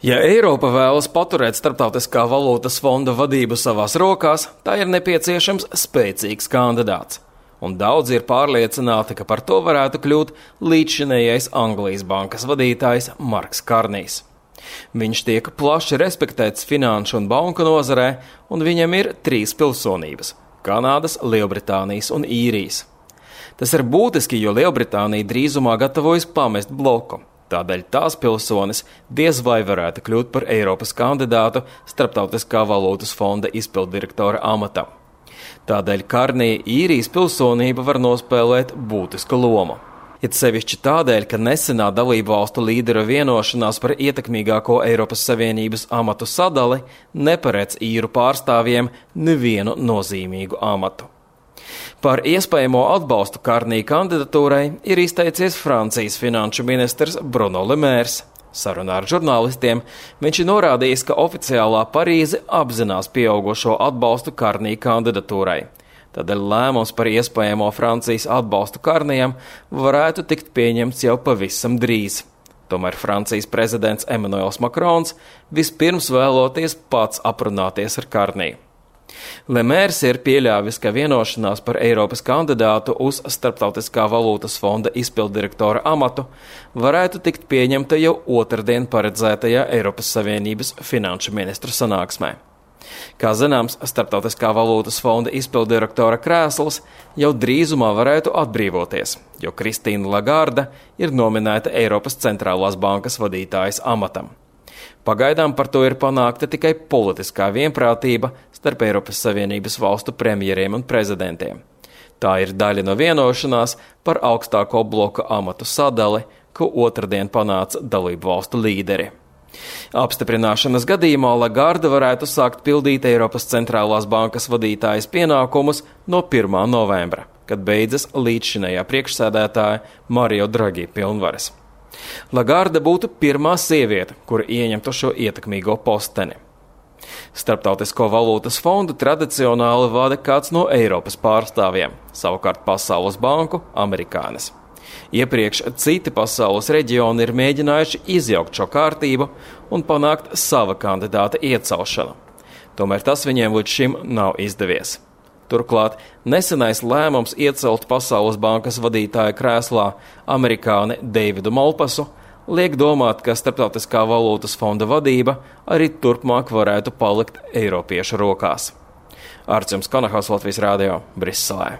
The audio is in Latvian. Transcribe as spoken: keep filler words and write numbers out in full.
Ja Eiropa vēlas paturēt Starptautiskā valūtas fonda vadību savās rokās, tā ir nepieciešams spēcīgs kandidāts. Un daudzi ir pārliecināti, ka par to varētu kļūt līdzšinējais Anglijas bankas vadītājs Marks Karnijs. Viņš tiek plaši respektēts finanšu un banku nozarē, un viņam ir trīs pilsonības – Kanādas, Lielbritānijas un Īrijas. Tas ir būtiski, jo Lielbritānija drīzumā gatavojas pamest bloku. Tādēļ tās pilsonis diez vai varētu kļūt par Eiropas kandidātu Starptautiskā valūtas fonda izpilddirektora amatam. Tādēļ Karnija Īrijas pilsonība var nospēlēt būtisku lomu. It sevišķi tādēļ, ka nesenā dalību valstu līderu vienošanās par ietekmīgāko Eiropas Savienības amatu sadali neparedz īru pārstāvjiem nevienu nozīmīgu amatu. Par iespējamo atbalstu Karnija kandidatūrai ir izteicies Francijas finanšu ministrs Bruno Le Maire. Sarunā ar žurnālistiem viņš ir norādījis, ka oficiālā Parīze apzinās pieaugušo atbalstu Karnija kandidatūrai. Tādēļ lēmums par iespējamo Francijas atbalstu Karnijam varētu tikt pieņemts jau pavisam drīz. Tomēr Francijas prezidents Emmanuels Macrons vispirms vēloties pats aprunāties ar Karniju. Le Maire ir pieļāvis, ka vienošanās par Eiropas kandidātu uz Starptautiskā valūtas fonda izpilddirektora amatu varētu tikt pieņemta jau otrdien paredzētajā Eiropas Savienības finanšu ministru sanāksmē. Kā zināms, Starptautiskā valūtas fonda izpilddirektora krēsls jau drīzumā varētu atbrīvoties, jo Kristīna Lagarde ir nominēta Eiropas centrālās bankas vadītājas amatam. Pagaidām par to ir panākta tikai politiskā vienprātība starp Eiropas Savienības valstu premjeriem un prezidentiem. Tā ir daļa no vienošanās par augstāko bloka amatu sadali, ko otrdien panāca dalību valstu līderi. Apstiprināšanas gadījumā Lagarde varētu sākt pildīt Eiropas centrālās bankas vadītājas pienākumus no pirmā novembra, kad beidzas līdzšinējā priekšsēdētāja Mario Draghi pilnvaras. Lagarde būtu pirmā sieviete, kura ieņemtu šo ietekmīgo posteni. Starptautisko valūtas fondu tradicionāli vada kāds no Eiropas pārstāvjiem, savukārt Pasaules banku – amerikānis. Iepriekš citi pasaules reģioni ir mēģinājuši izjaukt šo kārtību un panākt sava kandidāta iecelšanu. Tomēr tas viņiem līdz šim nav izdevies. Turklāt nesenais lēmums iecelt Pasaules bankas vadītāja krēslā amerikāni Deividu Malpasu liek domāt, ka Starptautiskā valūtas fonda vadība arī turpmāk varētu palikt eiropiešu rokās. Arčuns Kanahos, Latvijas Rādio, Briselē.